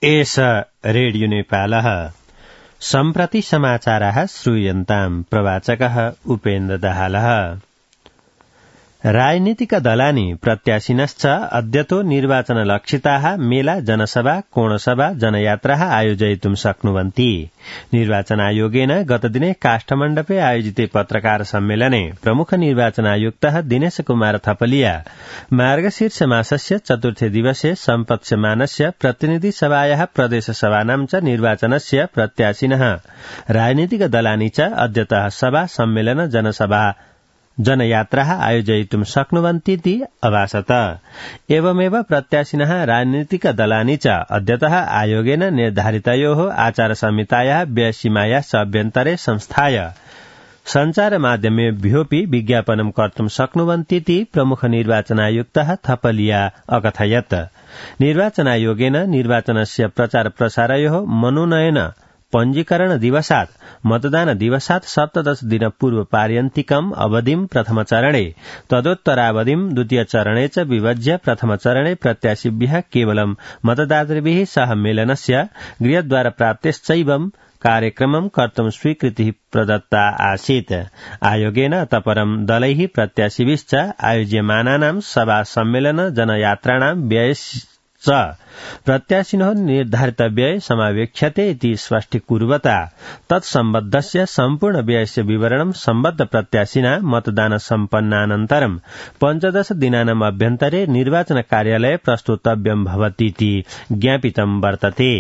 एष रेडियो नेपालः सम्प्रति समाचाराः श्रूयन्ताम् प्रवाचकः उपेन्द्र दाहालः। राजनीतिक दलानि प्रत्याशिनश्च अद्यतो निर्वाचनलक्षिताः मेला जनसभा कोणसभा जनयात्राः आयोजयितुं शक्नुवन्ति। निर्वाचनायोगेन गतदिने काष्ठमण्डपे आयोजिते पत्रकार सम्मेलने प्रमुख निर्वाचनायुक्तः दिनेश कुमार थपलिया मार्गशीर्ष मासस्य चतुर्थे दिवसे सम्पत्स्यमानस्य प्रतिनिधि सभायाः प्रदेश सभानां च निर्वाचनस्य प्रत्याशिनः राजनीतिक दलानि च अद्यतः सभा सम्मेलन जनसभा जनयात्राः आयोजयितुं शक्नुवन्तीति अभासत। एवमेव प्रत्याशिनः राजनीतिक दलानि च अद्यतः आयोगेन निर्धारितयोः आचारसंहितायाः व्ययसीमायाः अभ्यन्तरे संस्थाय सञ्चारमाध्यमेभ्योऽपि विज्ञापनं कर्तुं शक्नुवन्तीति प्रमुख निर्वाचनायुक्तः थपलिया अकथयत्। निर्वाचनायोगेन निर्वाचनस्य प्रचार प्रसारयोः मनोनयन पञ्जीकरण दिवसात् मतदान दिवसात् 17 दिन पूर्व पार्यन्तिकम् अवधिं प्रथमचरणे तदोत्तरावधिं द्वितीयचरणे च विभज्य प्रथमचरणे प्रत्याशिभ्यः केवलं मतदातृभिः सह मेलनस्य गृहद्वार प्राप्तेश्चैवं कार्यक्रमं कर्तुं स्वीकृतिः प्रदत्ता आसीत्। आयोगेन तपरं दलैः प्रत्याशिभिश्च आयोज्यमानानां सभा सम्मेलन जनयात्राणां व्ययश्च प्रत्याशिनः निर्धारित व्यय समावेक्ष्यते इति स्पष्टीकुर्वता तत्सम्बद्धस्य सम्पूर्ण व्ययस्य विवरणं सम्बद्ध प्रत्याशिना मतदान सम्पन्नानन्तरं 15 दिनानाम् अभ्यन्तरे निर्वाचन कार्यालये प्रस्तुतव्यं भवतीति ज्ञापितं वर्तते।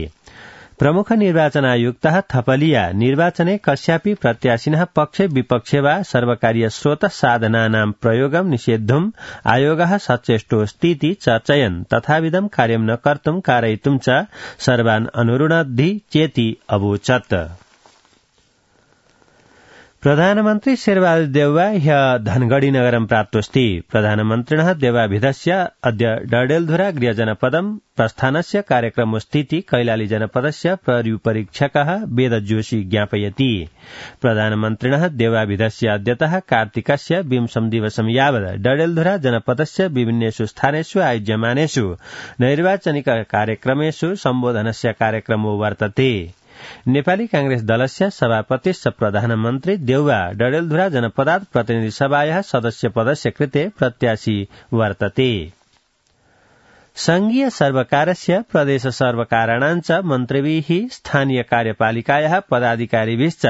प्रमुख निर्वाचनायुक्तः थपलिया निर्वाचने कस्यापि प्रत्याशिनः पक्षे विपक्षे वा सर्वकारीय स्रोत साधनानां प्रयोगं निषेद्धुम् आयोगः सचेष्टोऽस्तीति चर्चयन् तथाविधं कार्यं न कर्तुं कारयितुं च सर्वान् अनुरुणद्धि चेति अवोचत्। प्रधानमन्त्री शेरबहादुर देउवा ह्य धनगढ़ी नगरं प्राप्तोऽस्ति। प्रधानमन्त्रिणः देवाभिधस्य अद्य डडेलधुरा गृहजनपदं प्रस्थानस्य कार्यक्रमोऽस्तीति कैलाली जनपदस्य प्रहरीपरीक्षकः वेद जोशी ज्ञापयति। प्रधानमन्त्रिणः देवाभिधस्य अद्यतः कार्तिकस्य 20 दिवसं यावत् डडेलधुरा जनपदस्य विभिन्नेषु स्थानेषु आयोज्यमानेषु नैर्वाचनिक कार्यक्रमेषु सम्बोधनस्य कार्यक्रमो वर्तते। नेपाली कांग्रेस दलस्य सभापतिश्च प्रधानमन्त्री देउवा डडेलधुरा जनपदात् प्रतिनिधि सभायाः सदस्य पदस्य कृते प्रत्याशी वर्तते। संघीय सर्वकारस्य प्रदेश सर्वकाराणां च मन्त्रिभिः स्थानीय कार्यपालिकायाः पदाधिकारिभिश्च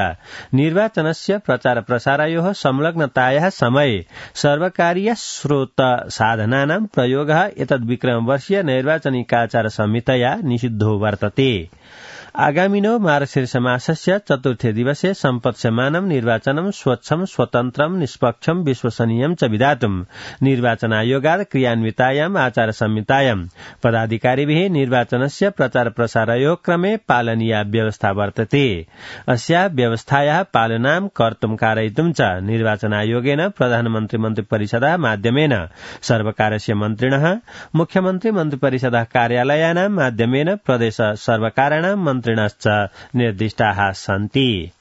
निर्वाचनस्य प्रचार प्रसारयोः संलग्नतायाः समये सर्वकारीय स्रोत साधनानां प्रयोगः एतद्विक्रमवर्षीय नैर्वाचनिकाचार संहितया निषिद्धो वर्तते। आगामिनो मार्गशीर्ष मासस्य चतुर्थे दिवसे सम्पत्स्यमानं निर्वाचनं स्वच्छं स्वतन्त्रं निष्पक्षं विश्वसनीयं च विधातुं निर्वाचनायोगात् क्रियान्वितायाम् आचार संहितायां पदाधिकारिभिः निर्वाचनस्य प्रचार प्रसारयोः क्रमे पालनीया व्यवस्था वर्तते। अस्याः व्यवस्थायाः पालनां कर्तुं कारयितुं च निर्वाचनायोगेन प्रधानमन्त्री मन्त्रिपरिषदः माध्यमेन सर्वकारस्य मन्त्रिणः मुख्यमन्त्री मन्त्रिपरिषदः कार्यालयानां माध्यमेन प्रदेश सर्वकाराणां मन्त्रिणश्च निर्दिष्टाः सन्ति।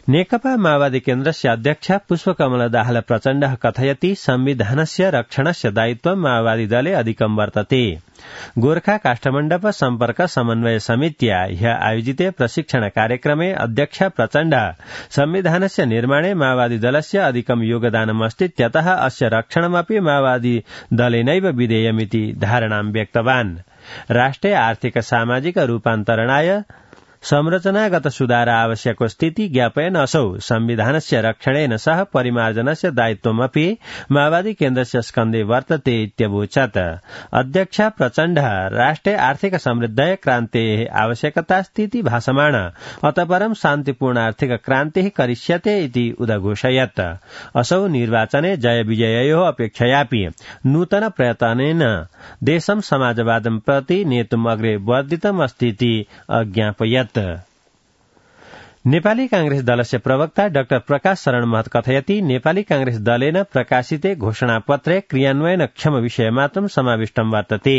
नेकपा माओवादी केन्द्रस्य अध्यक्ष पुष्पकमल दाहाल प्रचण्डः कथयति संविधानस्य रक्षणस्य दायित्वं माओवादी दले अधिकं वर्तते। गोर्खा काष्ठमण्डप सम्पर्क समन्वय समित्या ह्य आयोजिते प्रशिक्षण कार्यक्रमे अध्यक्ष प्रचण्ड संविधानस्य निर्माणे माओवादी दलस्य अधिकं योगदानमस्तीत्यतः अस्य रक्षणमपि माओवादी दलेनैव विधेयमिति धारणां व्यक्तवान्। राष्ट्रे आर्थिक सामाजिक रूपान्तरणाय संरचनागत सुधार आवश्यकोऽस्तीति ज्ञापयन् असौ संविधानस्य रक्षणेन सह परिमार्जनस्य दायित्वमपि माओवादी केन्द्रस्य स्कन्धे वर्तते इत्यवोचत्। अध्यक्ष प्रचण्ड राष्ट्रे आर्थिक समृद्धये क्रान्तेः आवश्यकतास्तीति भासमाण अतः परं शान्तिपूर्ण आर्थिक क्रान्तिः करिष्यते इति उदघोषयत्। असौ निर्वाचने जय विजययोः अपेक्षयापि नूतन प्रयत्नेन देशं समाजवादं प्रति नेतुम् अग्रे वर्धितम् अस्तीति अज्ञापयत्। नेपाली कांग्रेस दलस्य प्रवक्ता डाक्टर प्रकाश शरण महत कथयति नेपाली कांग्रेस दलेन प्रकाशिते घोषणापत्रे क्रियान्वयनक्षम विषयमात्रं समाविष्टं वर्तते।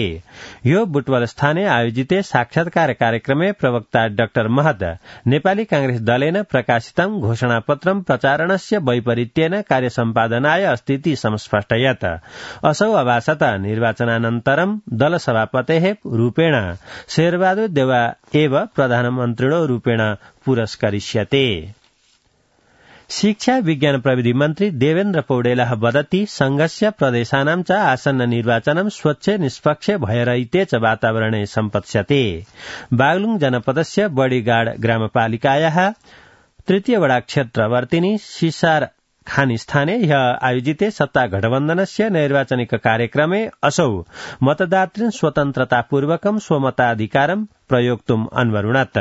यो बुटवल स्थाने आयोजिते साक्षात्कार कार्यक्रमे प्रवक्ता डाक्टर महत नेपाली कांग्रेस दलेन प्रकाशितं घोषणापत्रं प्रचारणस्य वैपरीत्येन कार्यसम्पादनाय अस्तीति संस्पष्टयत्। असौ अभासत निर्वाचनानन्तरं दलसभापतेः रूपेण शेरबहादुर देउवा एव प्रधानमन्त्रिणो रूपेण पुरस्करिष्यते। शिक्षा विज्ञान प्रविधि मन्त्री देवेन्द्र पौडेलः वदति संघस्य प्रदेशानां च आसन्न निर्वाचनं स्वच्छ निष्पक्ष भयरहिते च वातावरणे सम्पत्स्यते। बागलुङ जनपदस्य बडीगाड ग्रामपालिकायाः तृतीय वडा क्षेत्रवर्तिनी सिसार खानी स्थाने आयोजिते सत्ता गठबन्धनस्य नैर्वाचनिक कार्यक्रमे असौ मतदातृन् स्वतन्त्रतापूर्वकं स्वमताधिकारं प्रयोक्तुम् अन्वरुणत्।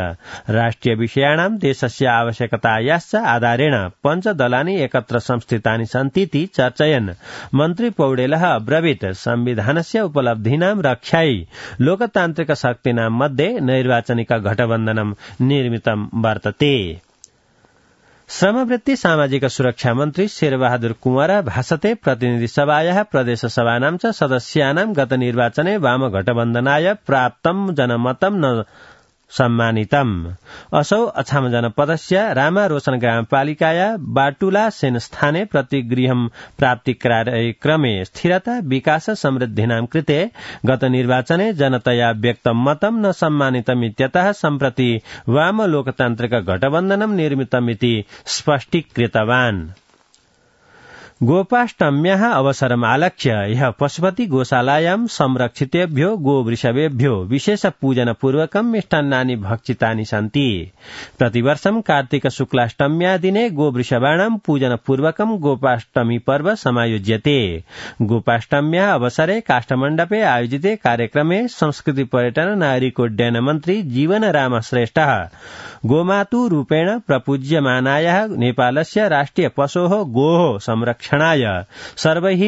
राष्ट्रिय विषयाणां देशस्य आवश्यकतायाश्च आधारेण पञ्चदलानि एकत्र संस्थितानि सन्तीति चर्चयन् मन्त्री पौडेलः अब्रवीत् संविधानस्य उपलब्धीनां रक्षायै लोकतान्त्रिक शक्तीनां मध्ये नैर्वाचनिक गठबन्धनं निर्मितं वर्तते। श्रमवृत्ति सामाजिक सुरक्षा मन्त्री शेरबहादुर कुँवर भाषते प्रतिनिधि सभायाः प्रदेश सभानां च सदस्यानां गत निर्वाचने वामगठबन्धनाय प्राप्तं जनमतं न सम्मानितम्। असौ अछाम जनपदस्य रामा रोशन ग्रामपालिकाया बाटुला सेन स्थाने प्रतिगृहं प्राप्ति कार्यक्रमे स्थिरता विकास समृद्धिनां कृते गत निर्वाचने जनतया व्यक्तं मतं न सम्मानितमित्यतः सम्प्रति वाम लोकतान्त्रिक गठबन्धनं निर्मितमिति स्पष्टीकृतवान्। गोपाष्टम्याः अवसरमालक्ष्य ह्यः पशुपति गोशालायां संरक्षितेभ्यो गोवृषभेभ्यो विशेष पूजनपूर्वकं मिष्टान्नानि भक्षितानि सन्ति। प्रतिवर्षं कार्तिक शुक्लाष्टम्या दिने गोवृषभाणां पूजनपूर्वकं गोपाष्टमी पर्व समायोज्यते। गोपाष्टम्या अवसरे काष्ठमण्डपे आयोजिते कार्यक्रमे संस्कृति पर्यटन नागरिकोड्डयन मन्त्री जीवन राम श्रेष्ठः गोमातु रूपेण प्रपूज्यमानायाः नेपालस्य राष्ट्रिय पशोः गोः संरक्षणाय सर्वैः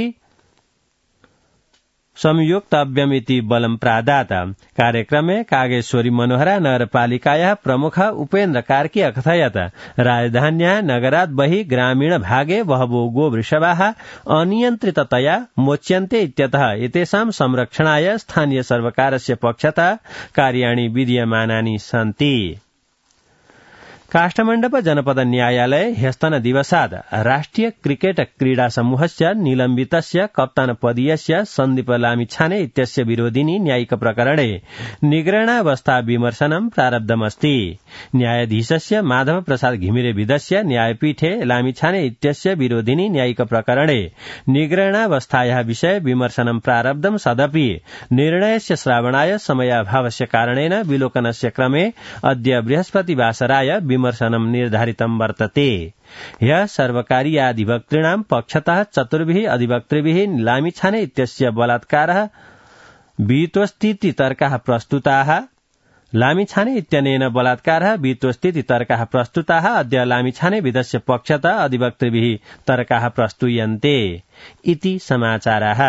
संयोक्तव्यमिति बलं प्रादात। कार्यक्रमे कागेश्वरी मनोहरा नगरपालिकायाः प्रमुख उपेन्द्र कार्की अकथयत् राजधान्याः नगरात् बहिः ग्रामीण भागे बहवो गोवृषभाः अनियन्त्रिततया मोच्यन्ते इत्यतः एतेषां संरक्षणाय स्थानीय सर्वकारस्य पक्षतः कार्याणि विधीयमानानि सन्ति। काष्ठमण्डप जनपद न्यायालय ह्यस्तन दिवसात् राष्ट्रिय क्रिकेट क्रीडा समूहस्य निलम्बितस्य कप्तान पदीयस्य सन्दीप लामिछाने इत्यस्य विरोधिनी न्यायिक प्रकरणे निग्रहणावस्था विमर्शनं प्रारब्धमस्ति। न्यायाधीशस्य माधव प्रसाद घिमिरे विधस्य न्यायपीठे लामिछाने इत्यस्य विरोधिनी न्यायिक प्रकरणे निग्रहणावस्थायाः विषये विमर्शनं प्रारब्धं सदपि निर्णयस्य श्रावणाय समयाभावस्य कारणेन विलोकनस्य क्रमे अद्य बृहस्पतिवासराय विमर्शनं निर्धारितं वर्तते। ह्यः सर्वकारीयाधिवक्तॄणां पक्षतः चतुर्भिः अधिवक्तृभिः लामिछाने इत्यस्य बलात्कारः विहितोऽस्तीति तर्काः प्रस्तुताः। लामिछाने इत्यनेन बलात्कारः विहितोऽस्तीति तर्काः प्रस्तुताः। अद्य लामिछाने विधस्य पक्षतः अधिवक्तृभिः तर्काः प्रस्तूयन्ते इति समाचाराः।